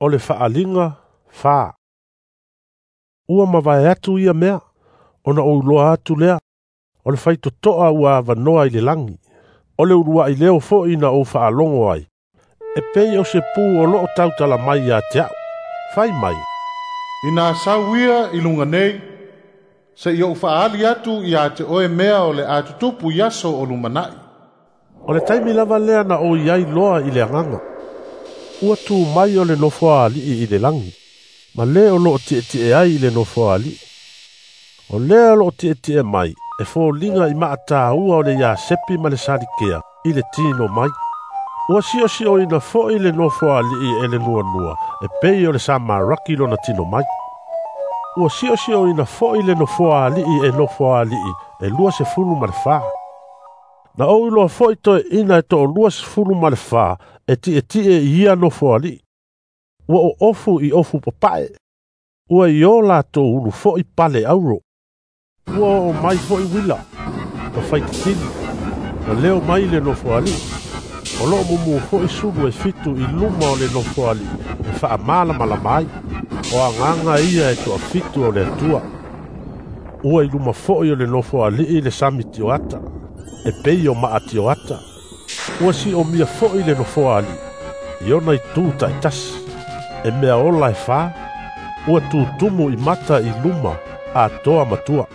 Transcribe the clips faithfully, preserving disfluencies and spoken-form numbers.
O le faaliga fa. Ua mavae atu ia mea, ona ou iloa atu lea, o le faitotoa ua avanoa i le lagi. O le uluai leo foi na ou faalogo ai, e pei o se pu o loo tautala mai ia te au. Fai mai, ina sau ia i luga nei, seia ou faaali atu ia te oe mea o le atutupu i aso o lumanai. O le taimi lava lea na ou iai loa i le agaga. Ua tu mai o le nofoa alii i le lagi, ma le o loo tietie ai i le nofoa alii. O lea o loo tietie mai, e foliga i maataua o le iasepi ma le salikea i le tino mai. Ua siosioina foi le nofoa alii e le nuanua, e pei o le samaraki lona tino mai. Ua siosioina foi le nofoa alii e nofoa alii e lua sefulu ma le fa. Na ou iloa foi toeaiina e toalua sefulu ma le fa e tietie i ia nofoa alii. Ua oofu i ofu papae. Ua i o latou ulu foi pale auro. Ua oo mai foi uila, ma faititili, ma leo mai le nofoa alii. O loo mumu foi sulu e fitu i luma o le nofoa alii e faamalamalama ai. O agaga ia e toafitu o le Atua. Ua i luma foi o le nofoa alii le sami tioata, e pei o maa tioata. Ua siomia foi le nofoa alii, i ona itu taitasi. E mea ola e fa, ua tutumu i mata i luma atoa matua.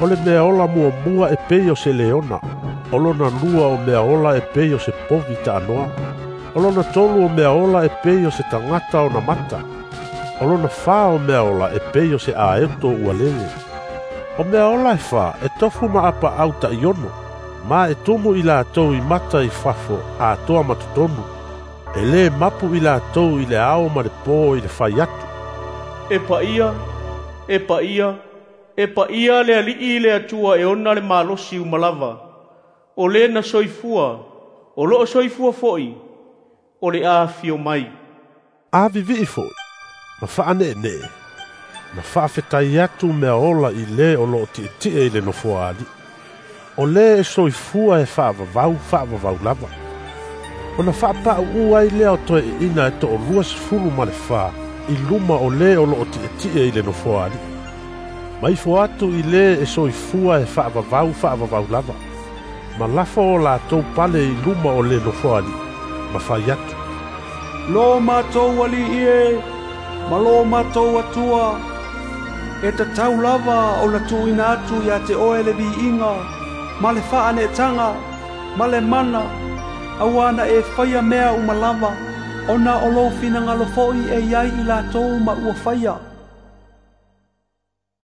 O le mea ola muamua e pei o se leona, o lona lua o mea ola e pei o se povi taanoa. O lona tolu o mea ola e pei o se tagata ona mata. O lona fa o mea ola e pei o se aeto ua lele. O mea ola e fa e tofu ma apaau taiono, ma e tumu i latou i mata i fafo atoa ma totonu. E le mapu i latou i le ao ma le po i le fai atu. E paia, e paia, e paia le alii le Atua e ona le malosi uma lava. O le na soifua, o loo soifua foi, o le afio mai. A vivii foi, ma faaneenee, ma faafetai atu mea ola i le o loo tietie i le nofoa alii. O le e soifua e faavavau faavavau lava. Ona faapauu ai lea o toeaiina e toalua sefulu ma le fa i luma o le o loo tietie i le nofoa alii. Ma ifo atu i le e soifua e faavavau faavavau lava. Ma lafo o latou pale i luma o le nofoa alii, ma fai atu. Lo matou alii e, ma lo matou Atua, e tatau lava ona tuuina atu ia te oe le viiga, ma le faaneetaga, ma le mana, auā na e faia mea uma lava, ona o lou finagalo foi e iai i latou ma ua faia.